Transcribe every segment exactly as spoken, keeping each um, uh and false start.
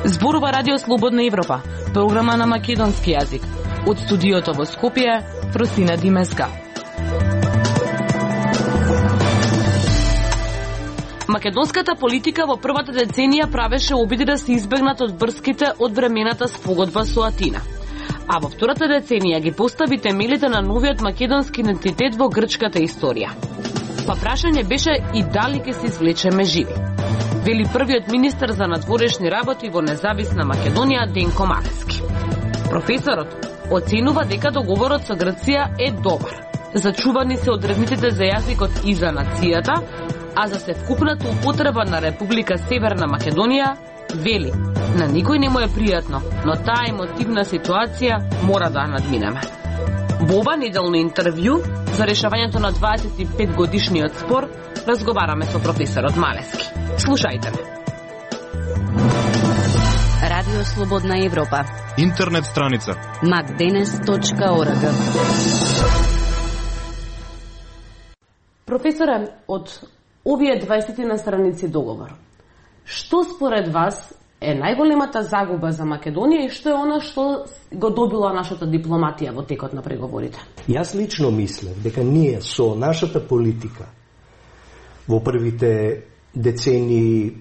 Зборува Радио Слободна Европа, програма на македонски јазик. Од студиото во Скопје, Фросина Димеска. Македонската политика во првата деценија правеше обиди да се избегнат од врските од времената спогодба со Атина. А во втората деценија ги постави темелите на новиот македонски идентитет во грчката историја. Па прашање беше и дали ќе се извлечеме живи. Вели првиот министер за надворешни работи во независна Македонија Денко Малески. Професорот оценува дека договорот со Грција е добар. Зачувани се одредниците за јазикот и за нацијата, а за севкупната употреба на Република Северна Македонија, вели, на никој не му е пријатно, но таа емотивна ситуација мора да надминеме. Во ова неделно интервју за решавањето на дваесет и пет годишниот спор разговараме со професорот Малески. Слушајте ме. Радио Слободна Европа. Интернет страница макденес точка орг. Професоре, од овие дваесет на страници договор, што според вас е најголемата загуба за Македонија и што е она што го добила нашата дипломатија во текот на преговорите? Јас лично мислев дека ние со нашата политика во првите децении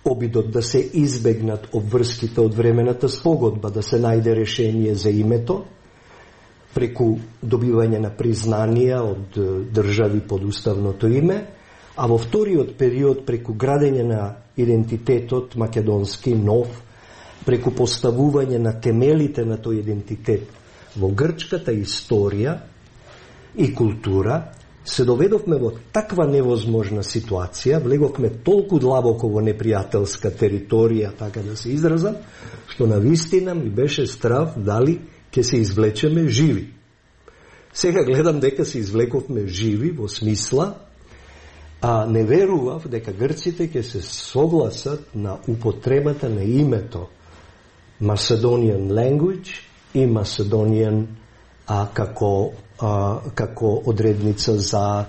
обидот да се избегнат обврските од времената спогодба, да се најде решение за името, преку добивање на признанија од држави под уставното име, а во вториот период преку градење на идентитетот македонски нов, преку поставување на темелите на тој идентитет во грчката историја и култура, се доведовме во таква невозможна ситуација, влеговме толку длабоко во непријателска територија, така да се изразам, што навистина ми беше страв дали ќе се извлечеме живи. Сега гледам дека се извлековме живи во смисла, а не верував дека грците ќе се согласат на употребата на името Macedonian language и Macedonian а, како, а, како одредница за а,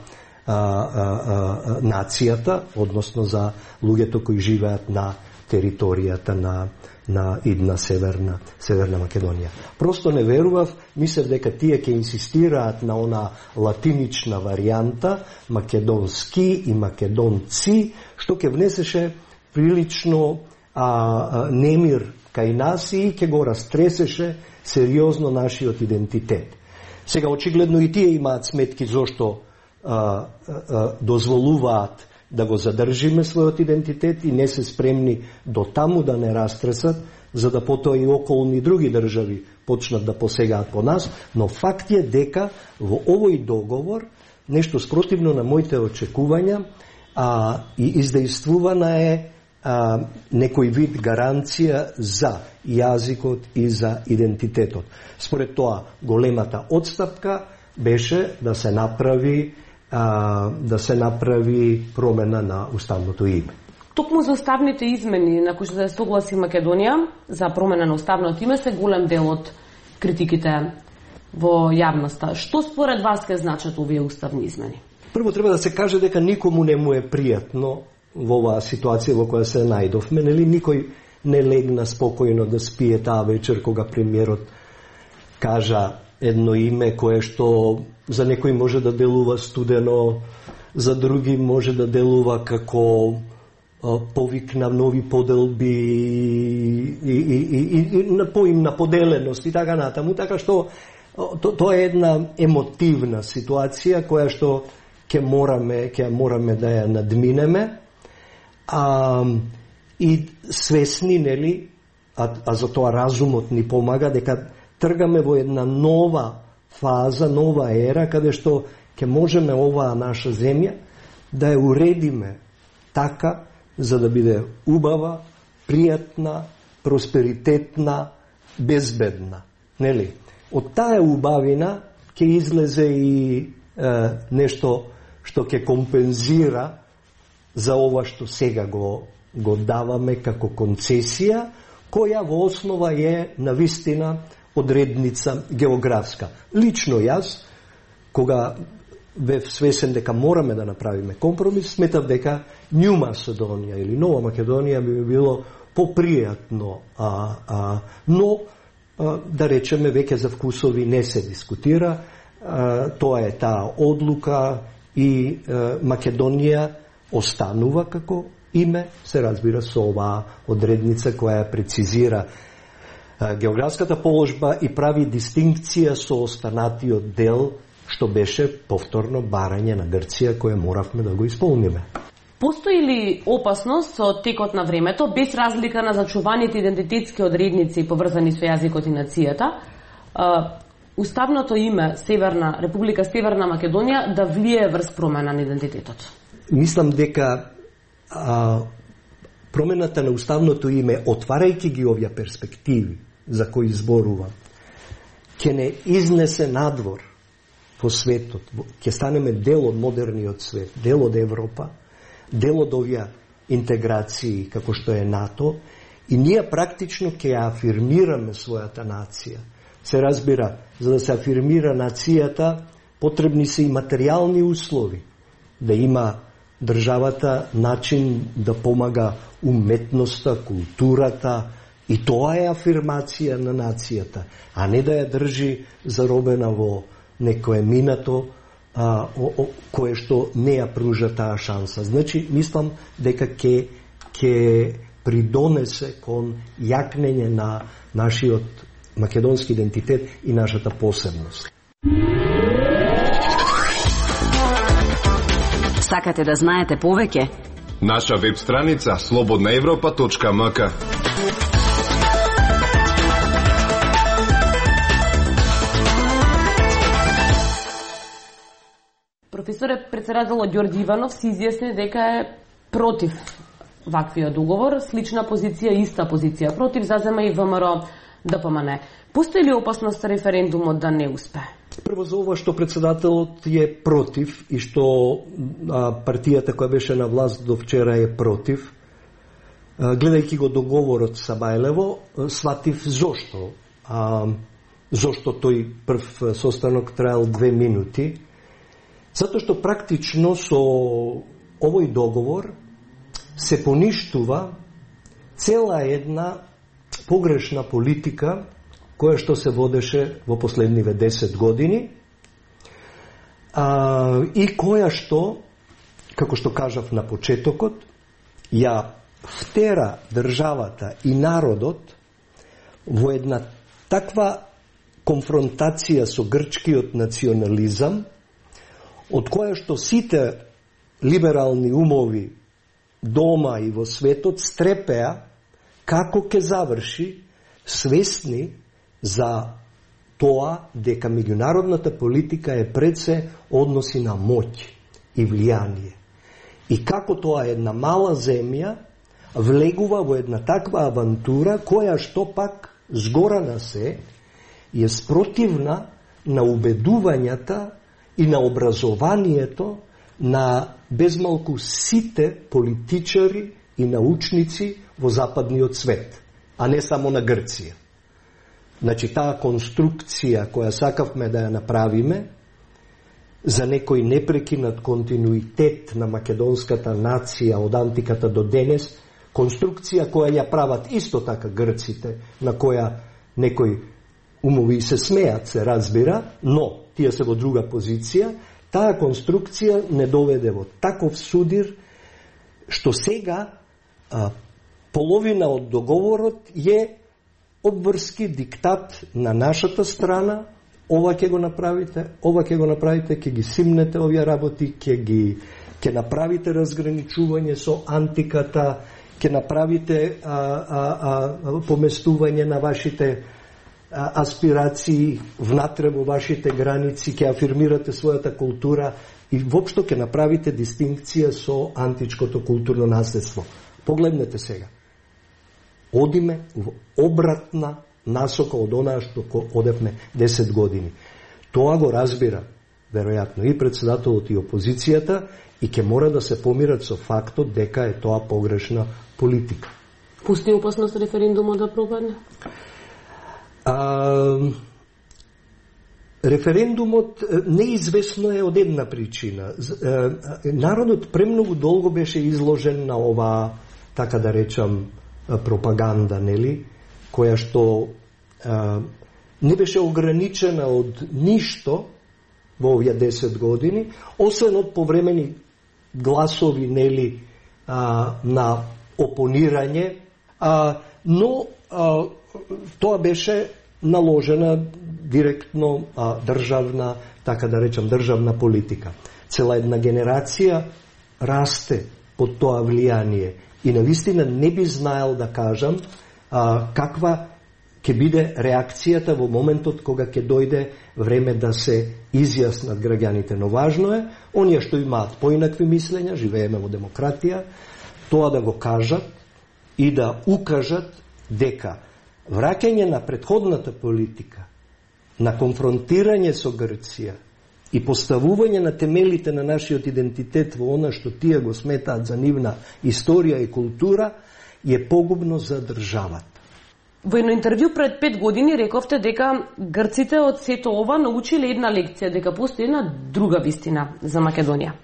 а, а, нацијата, односно за луѓето кои живеат на територијата на на идна Северна, Северна Македонија. Просто не верував, мислев дека тие ќе инсистираат на она латинична варијанта, македонски и македонци, што ќе внесеше прилично а, а, немир кај нас и ќе го растресеше сериозно нашиот идентитет. Сега, очигледно и тие имаат сметки зошто а, а, дозволуваат да го задржиме својот идентитет и не се спремни до таму да не растресат, за да потоа и околни други држави почнат да посегаат по нас, но факт е дека во овој договор, нешто спротивно на моите очекувања, а, и издействувана е а, некој вид гаранција за јазикот и за идентитетот. Според тоа, големата отстапка беше да се направи А, да се направи промена на уставното име. Токму за уставните измени на кои што се согласи Македонија за промена на уставното име се голем дел од критиките во јавноста. Што според вас ке значат овие уставни измени? Прво треба да се каже дека никому не му е пријатно во оваа ситуација во која се најдовме, нели никој не легна спокојно да спие таа вечер кога премиерот кажа едно име кое што за некој може да делува студено, за други може да делува како а, повик на нови поделби и, и, и, и, и на поим на поделеност и така натаму, така што то, тоа е една емотивна ситуација која што ќе мораме, ќе мораме да ја надминеме, а, и свесни, нели, а, а за тоа разумот ни помага дека тргаме во една нова фаза, нова ера, каде што ќе можеме оваа наша земја да ја уредиме така, за да биде убава, пријатна, просперитетна, безбедна. Нели? Од таа убавина ќе излезе и е, нешто што ќе компензира за ова што сега го, го даваме како концесија, која во основа е навистина одредница географска. Лично јас кога бев свесен дека мораме да направиме компромис, сметав дека Нью Македонија или Нова Македонија би било попријатно, а, а, но а, да речеме веќе за вкусови не се дискутира. А, тоа е таа одлука и а, Македонија останува како име, се разбира со оваа одредница која ја прецизира а, географската положба и прави дистинкција со останатиот дел што беше повторно барање на Грција кое моравме да го исполниме. Постои ли опасност со текот на времето, без разлика на зачуваните идентитетски одредници поврзани со јазикот и нацијата, уставното име Северна Република Северна Македонија да влие врз промена на идентитетот? Мислам дека а, промената на уставното име, отварајќи ги овие перспективи за кои зборувам, ќе не изнесе надвор по светот, ќе станеме дел од модерниот свет, дел од Европа, дел од овие интеграции како што е НАТО, и ние практично ќе ја афирмираме својата нација. Се разбира, за да се афирмира нацијата, потребни се и материјални услови, да има државата начин да помага уметноста, културата, и тоа е афирмација на нацијата, а не да ја држи заробена во некое минато а, о, о, кое што не ја пружа таа шанса. Значи, мислам дека ќе ќе придонесе кон јакнење на нашиот македонски идентитет и нашата посебност. Сакате да знаете повеќе? Наша веб страница слободна европа точка ем ка. Професоре, председателот Ѓорѓи Иванов се изјасни дека е против ваквиот договор, слична позиција, иста позиција против зазема и ВМРО Д П М Н. Постои ли опасност референдумот да не успее? Прво за ова што председателот е против и што а, партијата која беше на власт до вчера е против, а, гледајќи го договорот со Бајлево, сватив зошто. А, зошто тој прв состанок траел две минути. Затоа што практично со овој договор се поништува цела една погрешна политика која што се водеше во последниве десет години а, и која што, како што кажав на почетокот, ја втера државата и народот во една таква конфронтација со грчкиот национализам, од која што сите либерални умови дома и во светот стрепеа како ќе заврши, свесни за тоа дека меѓународната политика е пред се односи на моќ и влијание. И како тоа една мала земја влегува во една таква авантура која што пак згора на се е спротивна на убедувањата и на образованието на безмалку сите политичари и научници во западниот свет, а не само на Грција. Значи, таа конструкција која сакавме да ја направиме за некој непрекинат континуитет на македонската нација од антиката до денес, конструкција која ја прават исто така грците, на која некој умови се смеат, се разбира, но тие се во друга позиција, таа конструкција не доведе во таков судир што сега а, половина од договорот е обврски диктат на нашата страна, ова ќе го направите, ова ќе го направите, ќе ги симнете овие работи, ќе ги ќе направите разграничување со антиката, ќе направите а, а, а, поместување на вашите а, аспирации внатре во вашите граници, ќе афирмирате својата култура и воопшто ќе направите дистинкција со античкото културно наследство. Погледнете сега. Одиме во обратна насока од онаа што одевме десет години. Тоа го разбира, веројатно, и председателот и опозицијата, и ќе мора да се помират со фактот дека е тоа погрешна политика. Постои опасност референдумот да пропадне? А, Референдумот неизвестно е од една причина. Народот премногу долго беше изложен на ова, така да речам, пропаганда, нели, која што а, не беше ограничена од ништо во овие десет години, освен од повремени гласови, нели, а, на опонирање, а, но а, тоа беше наложена директно а, државна, така да речам, државна политика. Цела една генерација расте под тоа влијание и навистина не би знаел да кажам а, каква ќе биде реакцијата во моментот кога ќе дојде време да се изјаснат граѓаните. Но важно е, оние што имаат поинакви мислења, живееме во демократија, тоа да го кажат и да укажат дека враќање на претходната политика, на конфронтирање со Грција и поставување на темелите на нашиот идентитет во она што тие го сметаат за нивна историја и култура, е погубно за државата. Во едно интервју пред пет години рековте дека грците од сето ова научиле една лекција, дека постои една друга вистина за Македонија.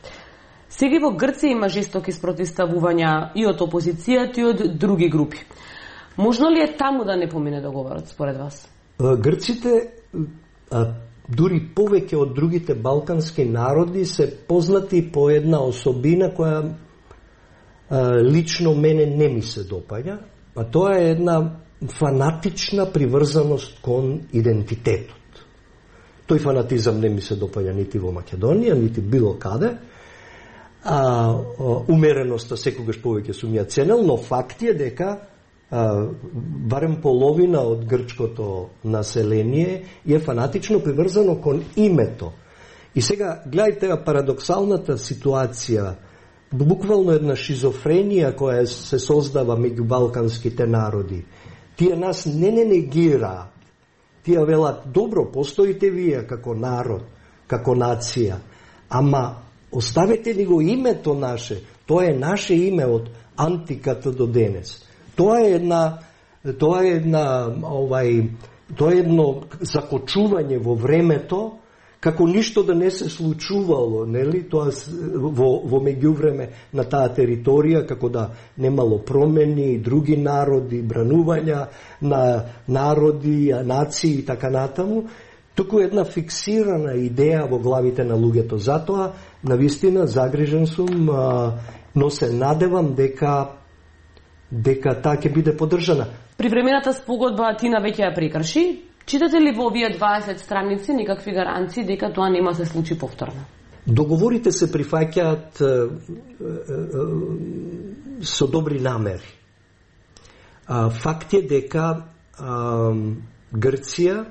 Сега во Грција има жестоки спротивставувања и од опозицијата и од други групи. Можно ли е таму да не помине договорот, според вас? Грците, а, дури повеќе од другите балкански народи, се познати по една особина која а, лично мене не ми се допаѓа, а тоа е една фанатична приврзаност кон идентитетот. Тој фанатизам не ми се допаѓа нити во Македонија, нити било каде. А, умереноста секогаш повеќе сум ја ценел, но факт е дека а, барем половина од грчкото население е фанатично приврзано кон името. И сега, гледајте парадоксалната ситуација, буквално една шизофренија која се создава меѓу балканските народи. Тие нас не не негираат. Тие велат, добро, постоите вие како народ, како нација, ама оставете ни го името наше, тоа е наше име од антиката до денес. Тоа е една, тоа е една, овај, тоа е едно закочување во времето, како ништо да не се случувало, нели, тоа во, во меѓувреме на таа територија, како да немало промени, други народи, бранувања на народи, нации и така натаму, туку една фиксирана идеја во главите на луѓето. Затоа, навистина, загрижен сум, но се надевам дека дека таа ќе биде поддржана. Привремената спогодба Атина веќе ја прекрши. Читате ли во овие дваесет страници некакви гаранции дека тоа нема се случи повторно? Договорите се прифаќаат со добри намери. Факт е дека а, Грција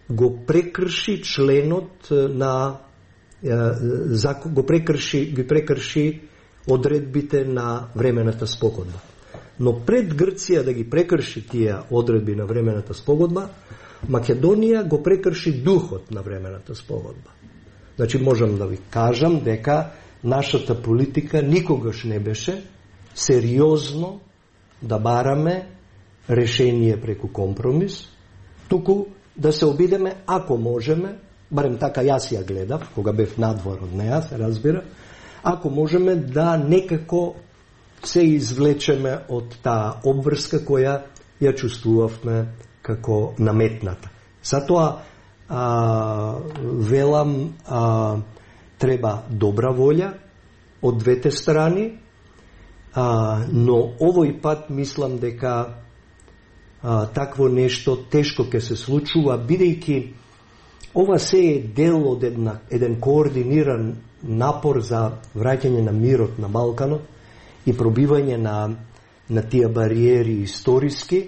го прекрши членот на а, го прекрши ги прекрши одредбите на времената спогодба. Но пред Грција да ги прекрши тие одредби на времената спогодба, Македонија го прекрши духот на времената спогодба. Значи, можам да ви кажам дека нашата политика никогаш не беше сериозно да бараме решение преку компромис, туку да се обидеме, ако можеме, барем така јас ја гледав, кога бев надвор од неа, се разбира, ако можеме да некако се извлечеме од таа обврска која ја чувствувавме како наметната. Затоа а, велам а, треба добра волја од двете страни, а, но овој пат мислам дека а, такво нешто тешко ќе се случува, бидејќи ова се е дел од една, еден координиран напор за враќање на мирот на Балканот и пробивање на, на тие бариери историски,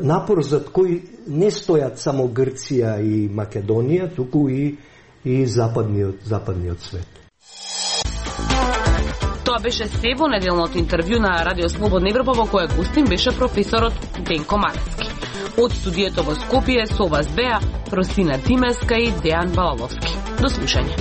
напор за кој не стојат само Грција и Македонија, туку и, и западниот, западниот свет. Тоа беше се во неделното интервју на Радио Слободна Европа, во која гостин беше професорот Денко Маrecki. Од студиото во Скопје со вас беа Росина Тимеска и Дејан Балаловски. До слушање.